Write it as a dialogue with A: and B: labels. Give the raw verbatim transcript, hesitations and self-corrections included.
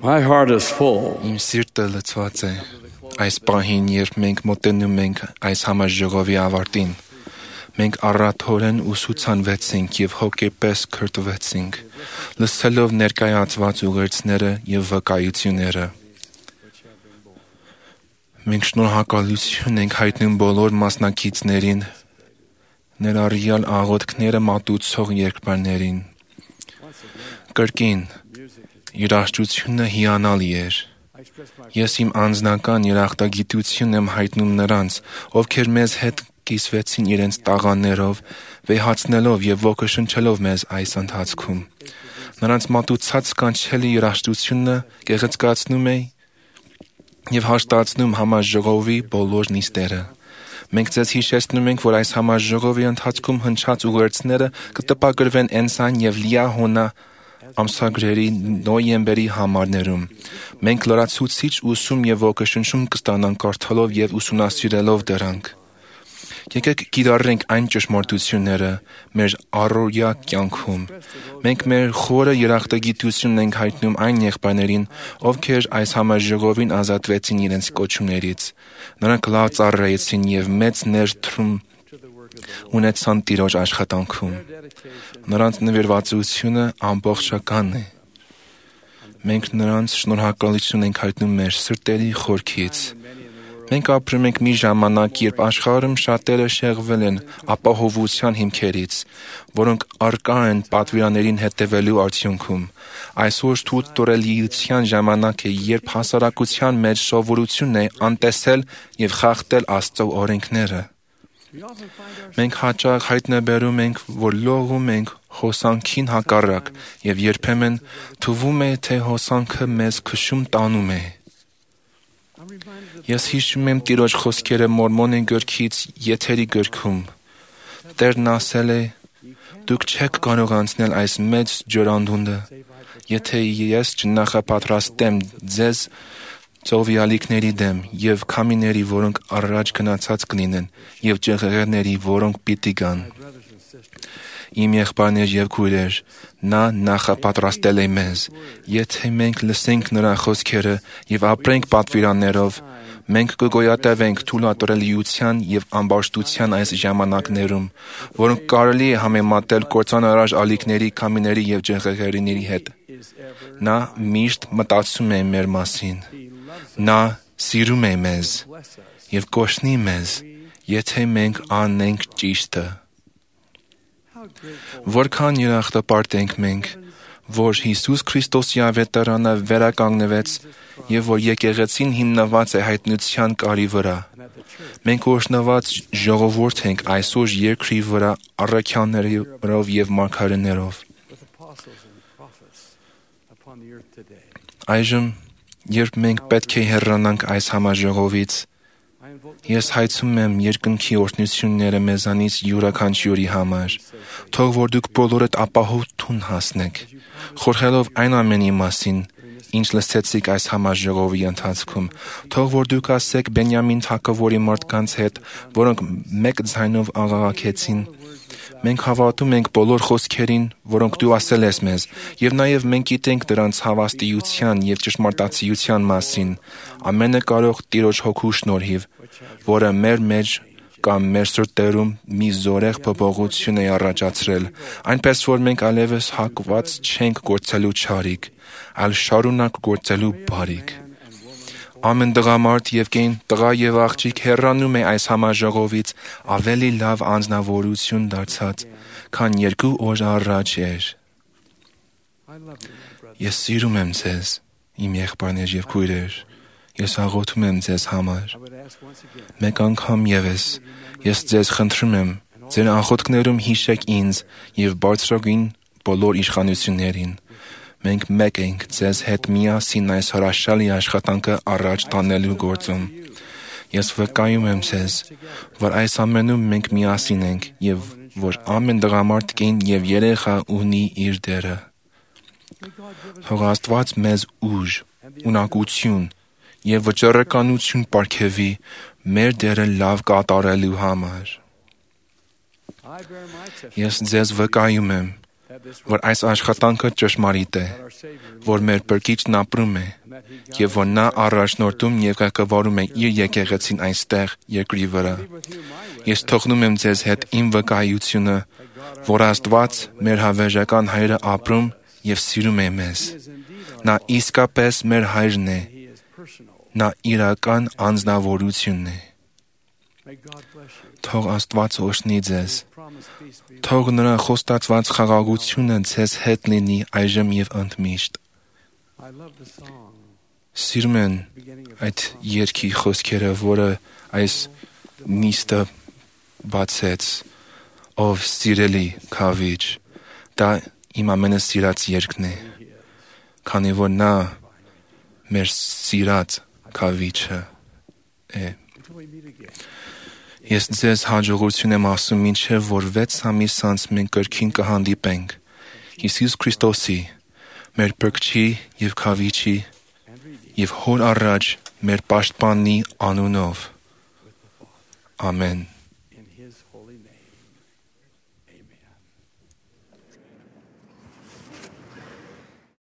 A: My heart is full.
B: Իմ սիրտը լցված է այս պահին, երբ մենք մոտենում ենք այս համաժողովի ավարտին։ Մենք առատորեն ուսուցանվեցինք եւ հոգեպես քրտվեցինք, լսելով ներկայացված ուղերձները եւ վկայությունները։ Մենք շնորհակալություն ենք հայտնում բոլոր մասնակիցներին, ներառյալ աղոթքները մատուցող երկրպագներին։ Կրկին, երաժշտությունը հիանալի էր։ Ես իմ անձնական երախտագիտությունն եմ հայտնում նրանց, ովքեր մեզ հետ կիսվեցին իրենց տաղաններով, վեհացնելով եւ ոգեշնչելով մեզ այս ընթացքում։ Նրանց մատուցած կանչելի երաժշտությունը գեղեցկացնում է եւ հաշտացնում համաժողովի բոլոր նիստերը։ Մենք ձեզ հիշեցնում ենք, որ այս համաժողովի ընթացքում հնչած ուղերձները կտպագրվեն Էնսան եւ Լիահոնա ամսագրերի նոյեմբերի համարներում։ Մենք լրացուցիչ ուսում եւ ոգեշնչում կստանանք կարդալով եւ ուսումնասիրելով դրանք։ Եկեք կիրառենք այն ճշմարտությունները մեր առօրյա կյանքում։ Մենք մեր խորը երախտագիտությունն ենք հայտնում այն եղբայրներին, ովքեր այս համաժողովին ազատվեցին իրենց կոչումներից։ Նրանք լավ ծառայեցին եւ մեծ ներդրում ունեցան Տիրոջ աշխատանքում։ Նրանց նվիրվածությունը ամբողջական է։ Մենք նրանց շնորհակալություն ենք հայտնում մեր սրտերի խորքից։ Մենք ապրում ենք մի ժամանակ, երբ աշխարհում շատերը շեղվել են ապահովության հիմքերից, որոնք առկա են պատվիրաններին հետևելու արդյունքում։ Այսօր թույլտորելիության ժամանակ է, երբ հասարակության մեջ սովորությունն է անտեսել եւ խախտել Աստծո օրենքները։ Մենք հաճախ հայտնաբերում ենք, որ լողում ենք հոսանքին հակառակ եւ երբեմն թվում է, թե հոսանքը մեզ քշում տանում է։ Ես հիշում եմ Տիրոջ խոսքերը Մորմոնի գրքից Եթերի գրքում։ Տերն ասել է. «Դուք չեք կարող անցնել այս մեծ ջրանդունդը, եթե ես չնախապատրաստեմ ձեզ ծովյալիկների դեմ եւ քամիների, որոնք առաջ գնացած կլինեն, եւ ջրհեղեղների, որոնք պիտի գան»։ Իմ եղբայրներ եւ քույրեր, նա նախապատրաստել է մեզ։ Եթե մենք լսենք նրա խոսքերը եւ ապրենք պատվիրաններով, մենք կգոյատևենք թույլտորելիության եւ ամբաշտության այս ժամանակներում, որոնք կարելի է համեմատել կործանարար ալիքների, քամիների եւ ջրհեղեղների հետ։ Նա միշտ մտածում է մեր մասին։ Նա սիրում է մեզ եւ կօրհնի մեզ, եթե մենք անենք ճիշտը։ Որքան երախտապարտ ենք մենք, որ Հիսուս Քրիստոսի ավետարանը վերականգնվեց եւ որ եկեղեցին հիմնված է հայտնության կարի վրա։ Մենք օրհնված ժողովուրդ ենք այսօր երկրի վրա առաքյալներով եւ մարգարեներով։ Այժմ, երբ մենք պետք է հեռանանք այս համաժողովից, ես հայցում եմ երկնքի օրհնությունները մեզանից յուրաքանչյուրի համար։ Թող որ դուք բոլորդ ապահով տուն հասնեք, խորհելով այն ամենի մասին, ինչ լսեցիք այս համաժողովի ընթացքում։ Թող որ դուք ասեք Բենյամին թագավորի մարդկանց հետ, որոնք մեկ ձայնով աղաղակեցին. «Մենք հավատում ենք բոլոր խոսքերին, որոնք դու ասել ես մեզ, եւ նաեւ մենք գիտենք դրանց հավաստիության եւ ճշմարտացիության մասին, ամենը կարող Տիրոջ հոգու շնորհիվ, որը մեր մեջ կամ մեր սրտերում մի զորեղ փոփոխություն է առաջացրել, այնպես որ մենք այլևս հակված չենք գործելու չարիք, այլ շարունակ գործելու բարիք»։ Ամեն տղամարդ եւ կին, տղա եւ աղջիկ հեռանում է այս համաժողովից ավելի լավ անձնավորություն դարձած, քան երկու օր առաջ էր։ Ես սիրում եմ ձեզ, իմ եղբայրներ եւ քույրեր։ Ես աղոթում եմ ձեզ համար։ Մեկ անգամ եւս ես ձեզ խնդրում եմ, ձեր աղոթքներում հիշեք ինձ եւ բարձրագույն բոլոր իշխանություններին։ Մենք մեկ ենք ձեզ հետ միասին այս հրաշալի աշխատանքը առաջ տանելու գործում։ Ես վկայում եմ ձեզ, որ այս ամենում մենք միասին ենք եւ որ ամեն տղամարդ, կին եւ երեխա ունի իր դերը։ Թող Աստված մեզ ուժ, ունակություն եւ վճռականություն պարգևի մեր դերը լավ կատարելու համար։ Ես ձեզ վկայում եմ, որ այս աշխատանքը ճշմարիտ է, որ մեր Փրկիչն ապրում է, եւ որ նա առաջնորդում եւ ղեկավարում է իր եկեղեցին այստեղ երկրի վրա։ Ես թողնում եմ ձեզ հետ իմ վկայությունը, որ Աստված, մեր հավերժական Հայրը ապրում եւ սիրում է մեզ։ Նա իսկապես մեր Հայրն է։ Նա իրական անձնավորությունն է։ Թող Աստված օրհնի ձեզ։ Թող նրա խոստացված խաղաղությունը ձեզ հետ լինի այժմ եւ ընդմիշտ։ Սիրում եմ այդ երգի խոսքերը, որը այս նիստը բացեց, ով սիրելի քավիչ, դա իմ ամենասիրած երգն է, քանի որ նա մեր սիրած քավիչը է։ Ես ձեզ հաջողություն եմ ասում, մինչև որ վեց ամիս անց մենք կրկին կհանդիպենք Հիսուս Քրիստոսի, մեր Փրկչի եւ Քավիչի եւ Հոր առաջ մեր Պաշտպանի անունով։ Ամեն։